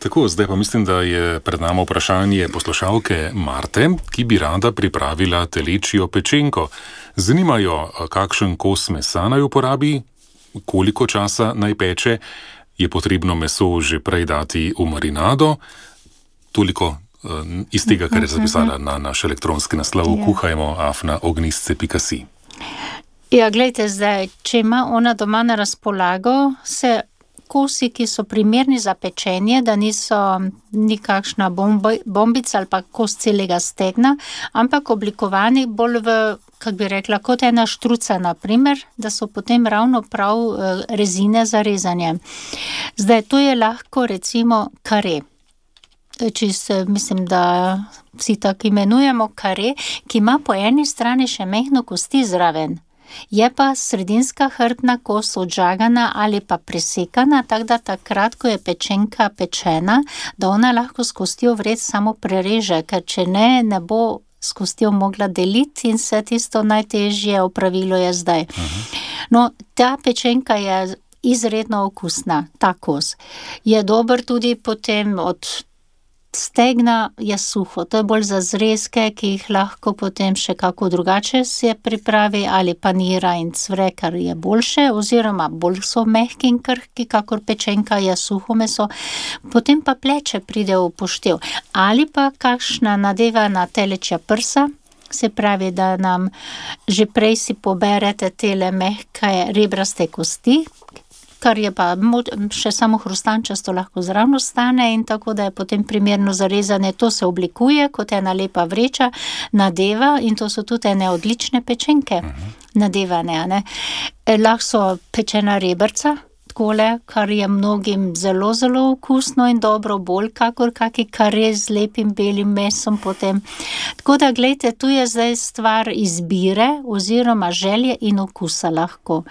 Tako, zdaj pa mislim, da je pred nami vprašanje poslušalke Marte, ki bi rada pripravila telečjo pečenko. Zanimajo, kakšen kos mesa naj uporabi, koliko časa naj peče, je potrebno meso že prej dati v marinado. Toliko iz tega, kar je zapisala na naš elektronski naslov, kuhajmo@ognistce.si. Ja, gledajte zdaj, če ima ona doma na razpolago, se kosi, ki so primerni za pečenje, da niso nikakšna bombica ali pa kos celega stegna, ampak oblikovani bolj v, kako bi rekla, kot ena štruca, naprimer, da so potem ravno prav rezine za rezanje. Zdaj, to je lahko recimo kare. Čisto, mislim, da vsi tako imenujemo kare, ki ima po eni strani še mehno kosti zraven. Je pa sredinska hrbtna kost odžagana ali pa presekana, tako da takrat, ko je pečenka pečena, da ona lahko s kostjo vred samo prereže, ker če ne bo s kostjo mogla deliti in se tisto najtežje opravilo je zdaj. No, ta pečenka je izredno okusna, ta kos. Je dober tudi potem od stegna je suho, to je bolj za zrezke, ki jih lahko potem še kako drugače se pripravi, ali panira in cvre, kar je boljše, oziroma bolj so mehki in krhki, kakor pečenka je suho meso. Potem pa pleče pride v poštev. Ali pa kakšna nadevana telečja prsa, se pravi, da nam že prej si poberete tele mehke rebraste kosti, kar je pa še samo hrustančasto lahko zravno stane in tako, da je potem primerno zarezane. To se oblikuje kot ena lepa vreča, nadeva in to so tudi ene odlične pečenke nadevane, ne. Lahko so pečena rebrca, takole, kar je mnogim zelo, zelo okusno in dobro, bolj kakor kaki kare z lepim belim mesom potem. Tako da, glejte, tu je zdaj stvar izbire oziroma želje in okusa lahko.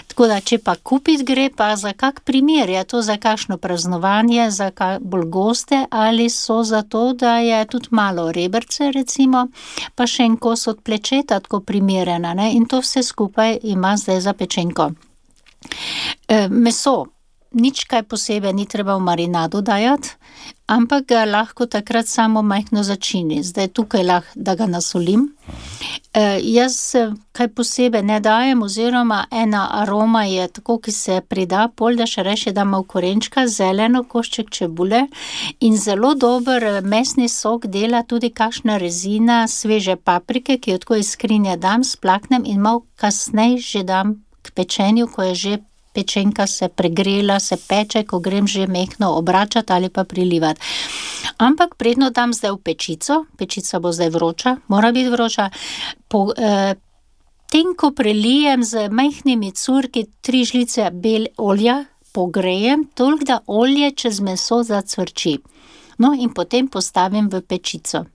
Tako da, če pa kupiti gre, pa za kak primer, je to za kakšno praznovanje, za bolj goste, ali so za to, da je tudi malo rebrce, recimo, pa še en kos od plečeta tako primerena, ne, in to vse skupaj ima zdaj za pečenko. Meso, nič kaj posebej ni treba v marinado dajati, ampak ga lahko takrat samo majhno začini. Zdaj tukaj lahko, da ga nasolim. Jaz kaj posebej ne dajem, oziroma ena aroma je tako, ki se prida, pol da še reši, da ima v korenčka, zeleno, košček čebule in zelo dober mesni sok dela tudi kakšna rezina sveže paprike, ki jo tako iz skrinje dam, splaknem in malo kasneje že dam k pečenju, ko je že pečenka se pregrela, se peče, ko grem že mehno obračati ali pa prilivati. Ampak predno dam zdaj v pečico, pečica bo zdaj vroča, mora biti vroča, tenko prelijem z majhnimi curki 3 žlice olja, pogrejem, toliko da olje čez meso zacvrči. No, in potem postavim v pečico.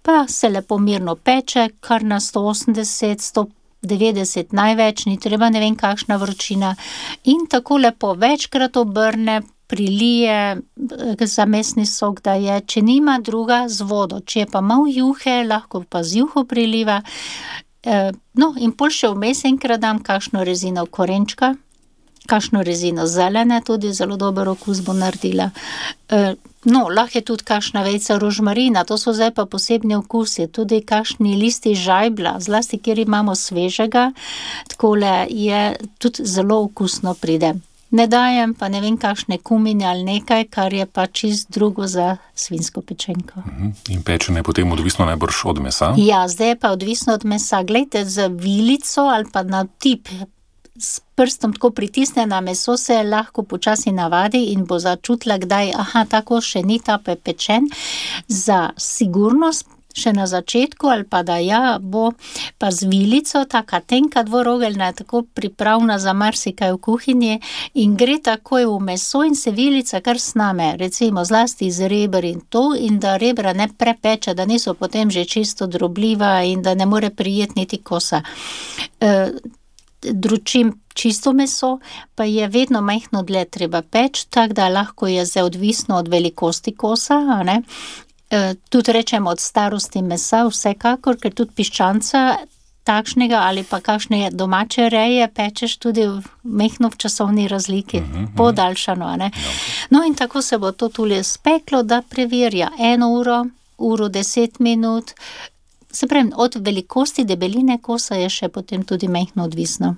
Pa se lepo mirno peče, kar na 180, 190 največ, ni treba ne vem kakšna vročina, in tako lepo večkrat obrne, prilije za mesni sok, da je, če nima druga, z vodo, če je pa malo juhe, lahko pa z juho priliva. No, in pol še vmes enkrat dam kakšno rezino korenčka, kakšno rezino zelene, tudi zelo dober okus bo naredila. No, lahko je tudi kakšna vejca rožmarina, to so zdaj pa posebni okusi, tudi kakšni listi žajbla, zlasti kjer imamo svežega, takole je tudi zelo okusno pride. Ne dajem pa ne vem kakšne kumine ali nekaj, kar je pa čist drugo za svinjsko pečenko. In pečenje je potem odvisno najbrž od mesa? Ja, zdaj je pa odvisno od mesa. Glejte, z vilico ali pa na tip s prstom tako pritisne na meso, se lahko počasi navadi in bo začutila, kdaj, tako še ni ta pečen. Za sigurnost še na začetku, ali pa da bo pa z vilico, taka tenka dvorogeljna, tako pripravna za marsikaj v kuhinji in gre takoj v meso in se vilica kar sname, recimo zlasti iz reber in to, in da rebra ne prepeče, da niso potem že čisto drobljiva in da ne more prijeti niti kosa. Dručim čisto meso, pa je vedno majhno dlje treba peč, tako da lahko je zdaj odvisno od velikosti kosa, a ne. Tudi rečemo od starosti mesa, vsekakor, ker tudi piščanca takšnega ali pa kakšne domače reje pečeš tudi mehno v časovni razliki, podaljšano, ne. No in tako se bo to tule speklo, da preverja 1 uro, 10 minut. Se pravi, od velikosti debeline kosa je še potem tudi mehno odvisno.